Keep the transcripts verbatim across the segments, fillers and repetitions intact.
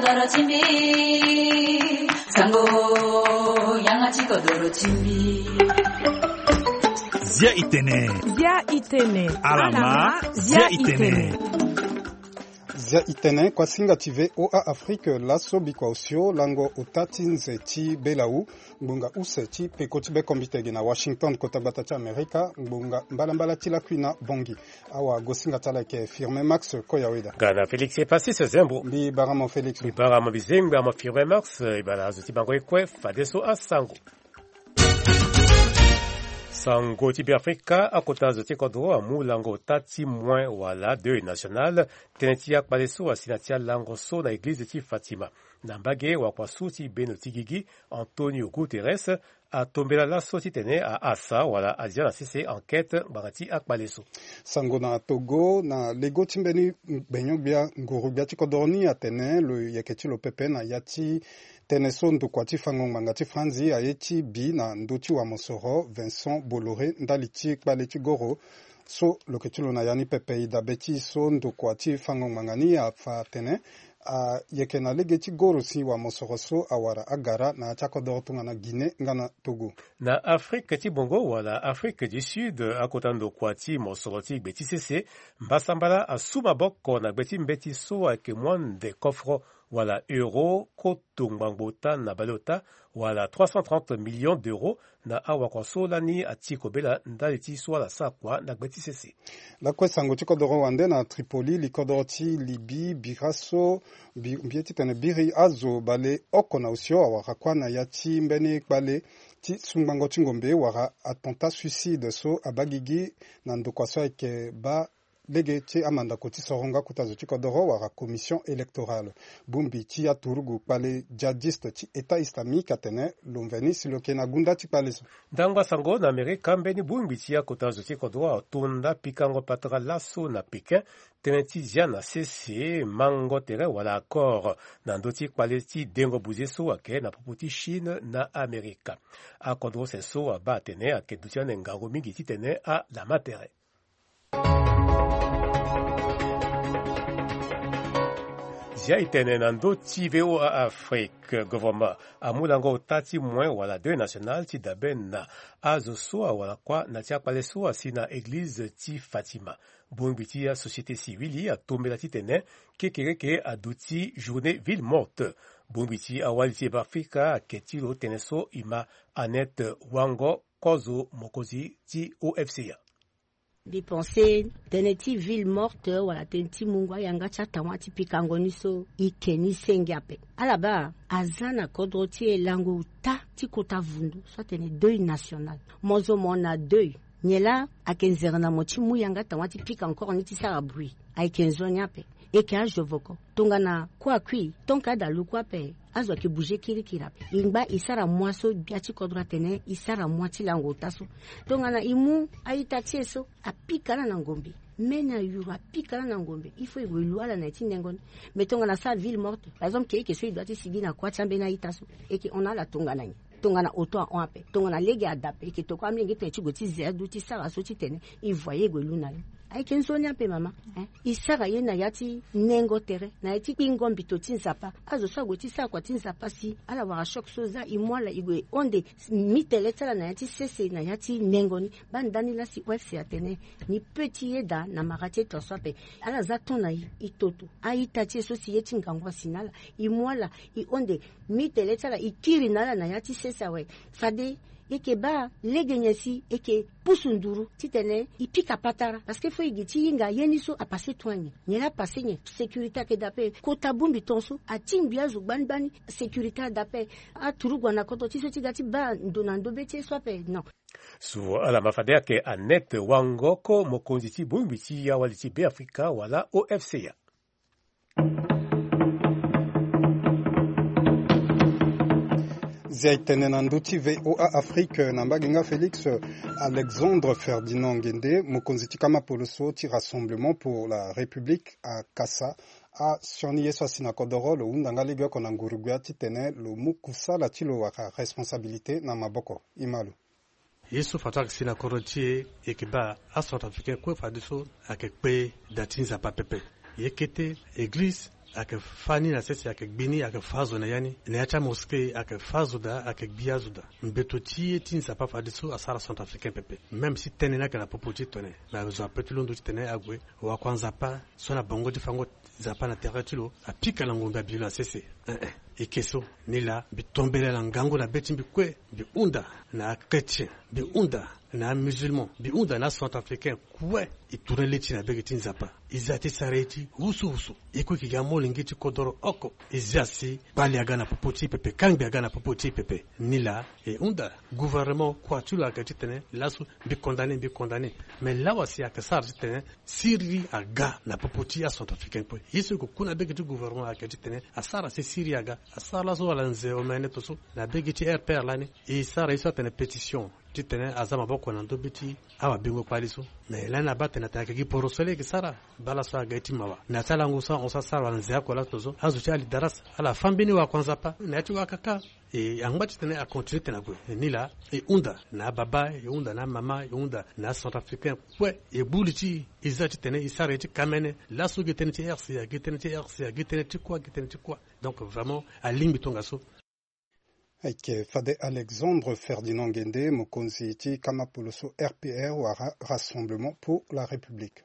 Doro ti mbi, sango, yanga ti kodoro ti mbi. Zia itene. Zia itene. Alama, zia itene. Zia itene, kuasinga ti V O A Afrique, laso bikua osio lango ota ti nze ti Belau, ngbonga use ti peko ti bekombite gi na Washington, kota gbata ti Amerika, ngbonga mbalambala ti lakui na Bongi. Awa gosinga ti ala ayeke Firmin Max Koyaweda. Ga na Félix Epasis Zembo. Mbi bara mo Félix. Mbi bara mo bizengbe amo Firmin Max, e bara azo ti bango ye kue fadeso asango. Sango ti Beafrika, akota zo ti kodro amu lango ota ti moin wala deuil national, tënë ti akpale so asi na ti alango so na eglize ti Fatima. Na mbage wakua so ti beno ti gigi, Antonio Guterres, atombela laso titene a asa wala azia na sese enquête ngbanga ti akpale so. Sango na Togo, na lego ti mbeni gbenyo-gbia nguru-gbia ti kodoro ni atene lo yeke ti lo pepe na ya ti tënë so ndokua ti fango ngbanga ti Franzi aye ti bi na ndö ti wamosoro Vincent Bolloré ndali ti kpale ti goro so lo yeke ti lo na ya ni pepe. E dabe ti e so ndokua ti fango ngbanga ni afa atene ayeke na lege ti goro si wamosoro so awara agara na ya ti akodoro tongana Guinée nga na Togo. Na Afrike ti bongo wala Afrike du Sud, akota ndokua ti mosoro ti gbe ti sese mbasambala asu maboko na gbe ti mbeti so ayeke mu ande kofro wala euro koto ngbangbo ota na baleota wala trois cent trente millions d'euros na awakua so lani ati kobela ndali ti so ala sara kua na gbe ti sese. Lakue sango ti kodoro wande na Tripoli, likodoro ti Libye bira so bi- mbi ye titene biri azo baleoko na osio awara kuâ na ya ti mbeni kpale ti sungbango ti ngombe wala attentat suicide so abaa gigi na ndokua so ayeke baa lege ti amandako ti soronga kota zo ti kodoro wala commission électorale. Bongbi ti aturugu kpale djihadiste ti État islamique atene lo mveni si lo yeke na gunda ti kpale so. Ndangba sango na Amerika, mbeni bongbi ti akota zo ti kodro ato nda pikango patara laso na Pékin tënë ti zia na sese mango tere wala accord na ndö ti kpale ti dengo buze so ayeke na popo ti Chine na Amerika. Akodro use so abaa atene ayeke duti ande ngangu mingi titene alama tere. Zia e tene na ndö ti V O A Afrique, gouvernement amu lango ota ti moin wala deuil national ti dabe na azo so awara kuâ na ti akpale so asi na eglize ti Fatima. Bongbi ti asociété civile atombela titene kekereke aduti journée ville morte. Bongbi ti awali ti Beafrika ayeke ti lo tënë so e ma Annette Wango, kozo mokonzi ti O F C A. Mbi pense tënë ti ville morte wala tënë ti mungo ayanga ti atawâ ti pikango ni so e ke ni senge ape. Ala baa aza na kodro ti e lango ota ti kota vundu so atene deuil national. Mo zo mo na deuil, nyen laa ayeke nzere na mo ti mu yanga tawâ ti pika encore ni ti sara bruit? Ayeke nzoni ape. E yeke azo voko tongana kue akui tonke ada luku ape. Azo ayeke bouger kirikiri ape. E ngba e sara mua so gbia ti kodro atene e sara mua ti lango ota so. Tongana e mu a-ita ti e so apika ala na ngombe, me na yuru apika ala na ngombe, il faut e gue lu ala na ya ti nengo ni. Mais tongana asara ville morte, par exemple, ke e yeke so e dua ti sigi na kuâ ti ambeni a-ita so, e yeke hon na ala tongana nyen? Tongana oto ahon ape, tongana lege ada ape, e yeke tokua amolenge tongana e ti gue ti ze adu ti sara so titene e voye e gue lu na ni. Ayeke nzoni ape mama. Hein? E sara ye na ya ti nengo tere, na ya ti kpingo mbito ti Nzapa. Azo so ague ti sara kua ti Nzapa si ala wara choc so za, e mu ala e gue hon de mi tele ti ala na ya ti sese na ya ti nengo ni. Baa ndani laa si O F C atene ni peut ti yeda na mara ti e tongaso ape. Ala za ton na e, e toto a-ita ti e so si ye ti ngangu asi na ala, e mu ala e hon de mi tele ti ala, e kiri na ala na ya ti sese awe. Fade e yeke baa lege nyen si e yeke pusu nduru titene e pika patara, parce que faut e gi ti hinga ye ni so apasse tongana nyen? Nyen laa apasse nyen? Sécurité ayeke daa ape. Kota bongbi tongaso atingbi azo gbani gbani. Sécurité ada ape. Aturugu ana kodro ti so ti ga ti baa ndo na ndo be ti ye so ape, non. So ala ma fade ayeke Annette Wango, ko mokonzi ti bongbi ti awali ti Beafrika wala O F C A. Zia e tene na ndö ti V O A Afrique na mbage nga Félix. Alexandre Ferdinand Nguende, mokonzi ti kama poloso ti Rassemblement pour la République, akasa asioni ye so asi na kodoro, lo hunda nga legeoko na nguru-gbia titene lo mu kusala ti lo wala responsabilité na maboko. E ma lo. Ye so fadeso ayeke si na kodro ti e, e yeke baa acentrafricain kue fadeso ayeke kpe da ti Nzapa pepe. Ye kete eglize Ayeke fâ ni na sese, ayeke gbi ni, ayeke fâ azo na ya ni. Na ya ti amosquée ayeke fâ azo daa, ayeke gbi azo daa. Mbeto ti ye ti Nzapa fadeso asara centrafricain pepe. Même si tënë ni ayeke na popo ti tene, me azo ape ti londo titene ague. Wakua Nzapa so na bango ti fango Nzapa na tere ti lo apika na ngombe abi lo na sese. Eh, eh. Eke so, nilaa, mbi tombela na ngangu na be ti mbi kue, mbi hunda na achrétien, mbi hunda na amusulman, mbi hunda na acentrafricain kue. E tourne le ti e na bege ti Nzapa. E za ti sara ye ti wusuwusu. E kue e ke ga molenge ti kodoro oko. E za si kpali aga na popo ti e pepe, kangbi aga na popo ti e pepe. Nilaa, e hunda gouvernement kua ti lo ayeke titene laso mbi condamné, mbi condamné. Mais lawa si ayeke sara titene siriri aga na popo ti acentrafricain kue. Ye so e ke ku na bege ti gouvernement ayeke titene asara si siriri aga. Asara laso wala nze omene to so na bege ti R P R lani. E sara ye so atene pétition titene aza maboko na ndö be ti awabingo kpali so. Mais lani abaa atene atene ayeke gi poro so laa e ke sara. Baa laso aga ye ti mawa. Na ti alango so ahon so asara wala nze oko laso to so, azo ti alidaras ala fâ mbeni wakua Nzapa na ya ti wakaka. E angba titene acontinué tene ague. E nilaa, e hunda na ababa, e hunda na amama, e hunda na acentrafricain kue. E bu li ti e, e za titene e sara ye ti kamene. Laso gi tënë ti R C A, gi tënë ti R C A, gi tënë ti kua, gi tënë ti kua. Donc vraiment alingbi tongaso. Ayeke fade Alexandre Ferdinand Ngende, mokonzi ti kama poloso R P R wala Rassemblement pour la République.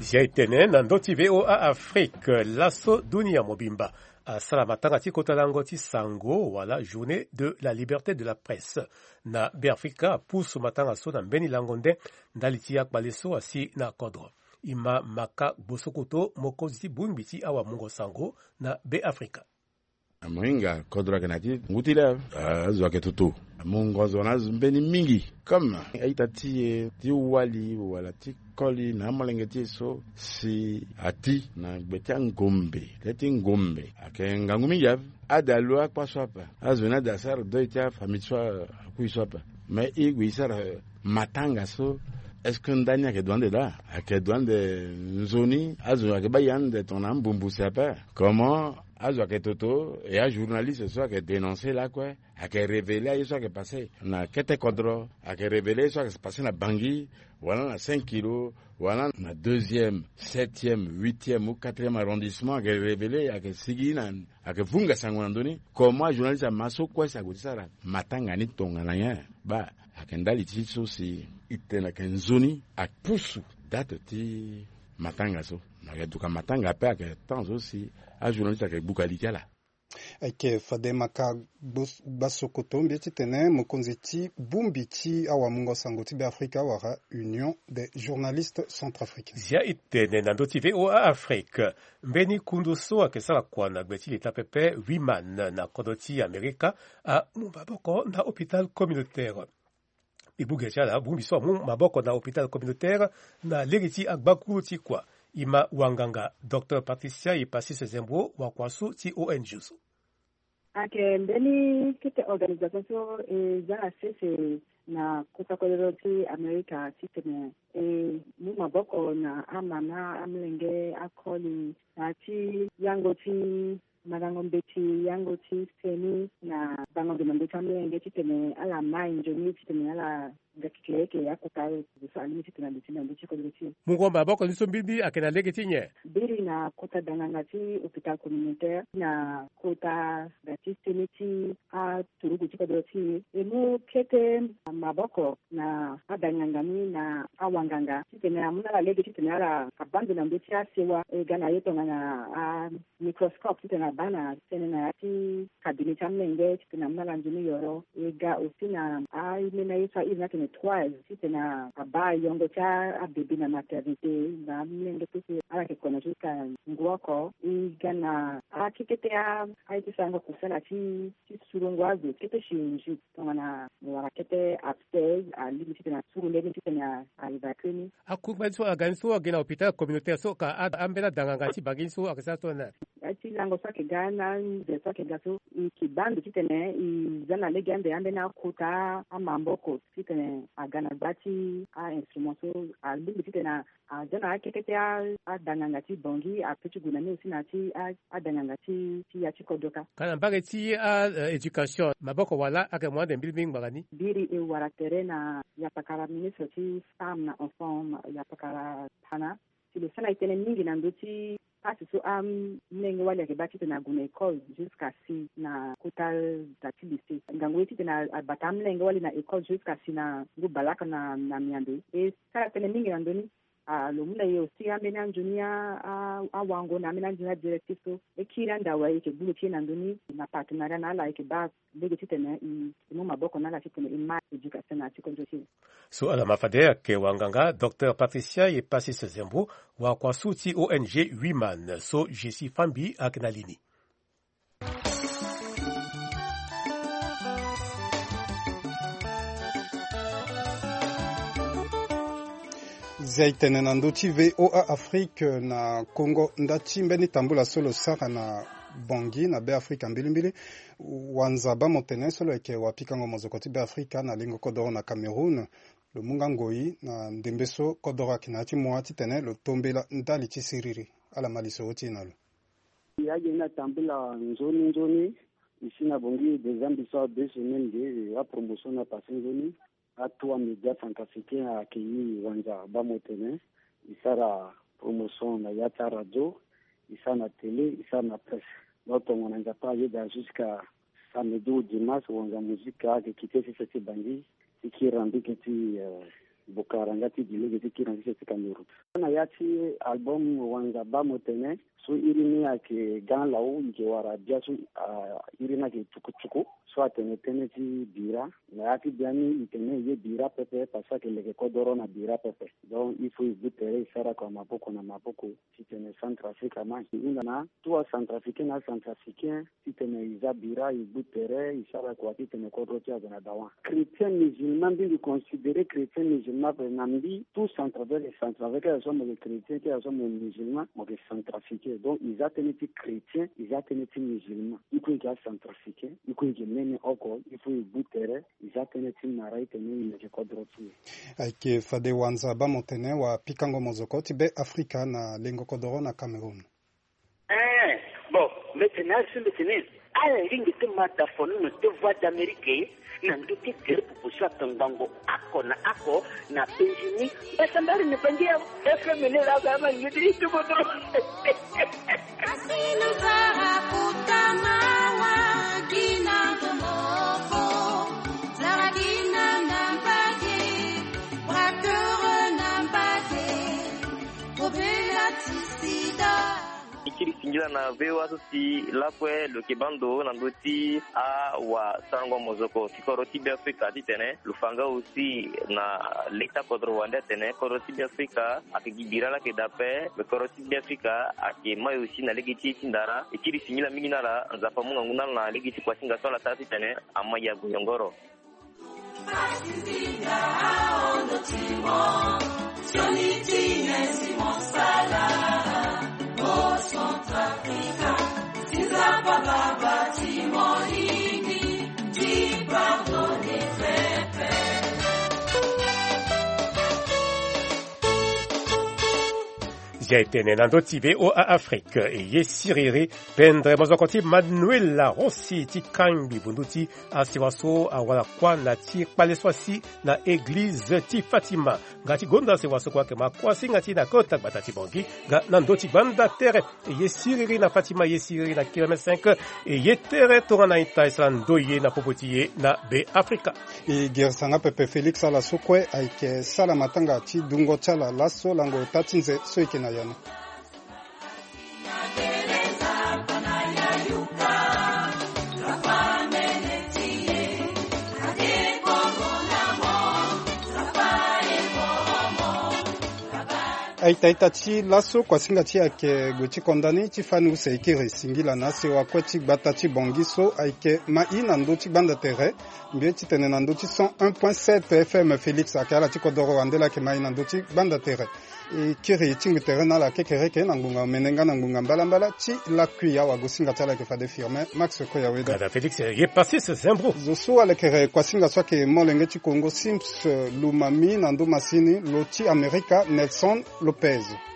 Zia e tene na ndö ti V O A Afrique, laso dunia mobimba asara matanga ti kota lango ti sango wala journée de la liberté de la presse. Na Beafrika apusu matanga so na mbeni lango nde ndali ti akpale so asi na kodro. E ma Maka Gbosokoto, mokonzi ti bongbi ti awamungo sango na Beafrika. Amohinga kodro ayeke na ya ti ngu ti le, azo ayeke toto. Amungo zo na azo mbeni mingi. Comme a-ita ti e ti wali wala ti koli na amolenge ti e so si ati na gbe ti angombe, le ti ngombe ayeke ngangu mingi ape. Ade alo akpa so ape. Azo ni ade asara deuil ti afamille so akui so ape. Mais e gue e sara matanga so, est-ce que ndani ayeke dua ande laa? Ayeke dua ande nzoni, azo ayeke bai ande tongana ambumbu si ape. Comment azo ayeke toto, e ajournaliste so ayeke dénoncer lakue, ayeke révéler aye so ayeke passé na kete kodro, ayeke révéler aye so ayeke passé na Bangui, wala na cinq kilos, wala na deuxième, septième, huitième ou quatrième arrondissement, ayeke révéler, ayeke sigi na, ayeke vunga sango na ndö ni. Comment ajournaliste ama so kue si ague ti sara matanga ni tongana nyen? Baa, ayeke ndali ti so si e tene ayeke nzoni apusu date ti matanga so. Ayeke duka matanga ape, ayeke temps so si ajournaliste ayeke gbuka li ti ala. Ayeke fade Maka Gbos-, Gbasokoto, mbi ye titene mokonzi ti bongbi ti awamungo sango ti Beafrika wala Union des journalistes centrafricains. Zia e tene na ndö ti V O A Afrique. Mbeni kundu so ayeke sara kua na gbe ti leta pepe Wiman na kodro ti Amerika amu maboko na hôpital communautaire. E gbu ge ti ala, bongbi so amu maboko na hôpital communautaire na lege ti agbakuru ti kua, e ma wanganga Docteur Patricia Epasis Zembro, wakua so ti O N G so. Ayeke mbeni kete organisation so e za na sese na kota kodro ti Amerika titene e mu maboko na amama, amolenge, akoli, na ya ti yango ti mandango mbeti, yango ti seni na bango nze na ndö ti amolenge titene ala mai nzoni titene ala ga keke eke akota aye so alingbi titene alo ti na ndö ti kodro ti e. Mungo maboko ni so mbirimbiri ayeke na lege ti nyen? Mbiri na kota danganga ti hôpital communautaire na kota ga ti seni ti aturugu ti kodro ti e. E mu kete maboko na adanganga ni na awanganga titene amu na ala lege titene ala abaa ndo na ndö ti asewa. E ga na ye tongana a microscope titene abaa na tënë na ya ti cabinet ti amolenge titene amu na ala nzoni yoro. E ga aussi na aye ni na ye so a iri ni atene toise titene abaa yongo ti abebe na maternité na amolenge pepe ala yeke kona jusqu'à ngu oko. E ga na akekete a aye ti sarango kusala ti ti surango azo kete chirurgie tongana wala kete abscèse alingbi titene asuru nde ni titene a évacue ni. Akungba ni so aga ni so agi na hôpital communautaire so ka a- ambeni adanganga ti Bangui ni so ayeke sara so na ya ti Lango so ayeke ga na nze so ayeke ga so, e ke baa ndo titene e za na lege ande ambeni akota amaboko titene aga na gba ti a-instrument so. Alingbi titene a- aza na akete ti a- adanganga ti Bangui, ape ti gue na ni aussi na ya ti a- adanganga ti ti ya ti kodro kâ. Ka na mbage ti a- eh, éducation, maboko wala ayeke mu ande mbilimbili ngbanga ni. Biri e wara tere na yapakara ministre ti femme na enfant, yapakara pana, si lo sara na e tënë mingi na ndö ti pasi so amolenge wali ayeke baa titene ague na école jusqu'à si na kota da ti lycée. Ngangu ye titene a- abata amolenge wali na école jusqu'à si na ngu balaka na na miambe. E sara tënë mingi na ndö ni. Ah, lo mu na e aussi ambeni anzoni a- a- awango na ambeni anzoni adirectif so e kiri ande awe ayeke gbu lo ti e na ndö ni na partenariat na ala ayeke baa lege titene e e mu maboko na ala titene e ma éducation na ya ti kodro ti e. So ala ma fade ayeke wanganga Docteur Patricia Epasis Zembo, wakua su ti O N G Women so Jessie Fambi ayeke na li ni. Zia e tene na ndö ti V O A Afrique na Kongo, nda ti mbeni tambula so lo sara na Bangui na Beafrika mbilimbili, Wanza Bamotene so lo yeke wapikango mozoko ti Beafrika na lengo kodoro na Cameroun, lo mu nga ngoi na ndembe so kodoro ayeke na ya ti mua titene lo tombela ndali ti siriri. Ala ma lisoro ti e na lo. Aye ni atambula nzoni nzoni. Ici na Bangui déjà mbi sara deux semaines de apromotion na passé nzoni. Atu amédia centrafricain accueilli Wanza Bamotene. E sara promotion na ya ti aradio, e sara na télé, e sara na presse. Donc tongana Nzapa ayeda jusqu'à samedi ou dimanche, Wanza Musique ayeke quitté sese ti Bangui ti kiri na mbage ti, eh, Bokara nga ti gi lege ti kiri na sese ti Cameroun. Na ya ti album Wanza Bamotene so iri ni ayeke ga lawu, e yeke wara bia so, ah, iri ni ayeke tukutuku so atene tënë ti bira. Na ya ti bia ni e tene e ye bira pepe parce que ayeke leke kodoro na bira pepe. Donc il faut e gbu tere e sara kua maboko na maboko titene Centrafrique ama e hunda na tout acentrafricain na acentrafricain titene e za bira, e gbu tere, e sara kua titene kodro ti e ague na dawa. Chrétien musulman, mbi mbi considéré chrétien musulman ape na mbi, tout centrafricain, centrafricain, que ce soit mo yeke chrétien, que ce soit mo yeke musulman, mo yeke centrafricain. Donc e za tënë ti chrétien, e za tënë ti musulman. E kue e yeke acentrafricain, e kue e yeke mene oko, il faut e gbu tere, e za tënë ti mara, e tene e leke kodro ti e. Ayeke fade Wanza Bamotene wapikango mozoko ti Beafrika na lengo kodoro na Cameroun. Eh, bon, mbi tene asi mbi tene ala lingbi ti ma da fono na deux voix d'Amérique na ndö ti tere popo so atongbango oko na oko na Benjini. Mbi sambari na Bangi ya F M ni la ba ma ngidi ti bodo. Asino zara kutama wa gina moko, zara gina na mbage, brakere na mbage, kobela ti sida. E kiri singila na V O A so si lakue lo yeke baa ndo na ndö ti awasarango mozoko ti kodro ti Beafrika titene lo fa nga aussi na leta kodro wande atene kodro ti Beafrika ayeke gi bira laa ayeke daa ape, me kodro ti Beafrika ayeke mai aussi na lege ti ye ti ndara. E kiri singila mingi na ala, Nzapa amu ngangu na ala na lege ti kuasinga so ala sara titene ama e ague yongoro. Zia e tene na ndö ti V O A Afrique, e ye siriri, pendre mozoko ti Manuela Rossi ti kangbi bundu ti asewa so awara kuâ na ti kpale so asi na eglize ti Fatima. Nga ti gonda asewa so kue ayeke ma kuâ singa ti na kota gbata ti Bangui. Nga na ndö ti gbanda tere, e ye siriri na Fatima, e ye siriri na kilomètre cinq, e ye tere tongana ita e sara ndö ye na popo ti ye na Beafrika. E girisa nga pepe Félix ala so kue ayeke sala matanga ti dungo ti ala laso lango ota ti nze so e yeke na yano. Aita aita ti laso kuasinga ti ayeke gue ti konda ni ti fani use e kiri singila na asewa kue ti gbata ti Bongi so ayeke mai na ndö ti gbanda tere. Mbi ye ti tene na ndö ti cent un point sept F M Félix ayeke ala ti kodoro wande laa ayeke mai na ndö ti gbanda tere. E kiri e tingbi tere na ala kekereke na ngbonga omene nga na ngbonga mbalambala ti lakui awago singa ti ala ayeke fade Firmin Max Koyaweda. Félix ye passis zembro. Zo so alekere kuasinga so ayeke molenge ti Congo Sims Lumami na ndö masini lo ti Amerika Nelson Lopez.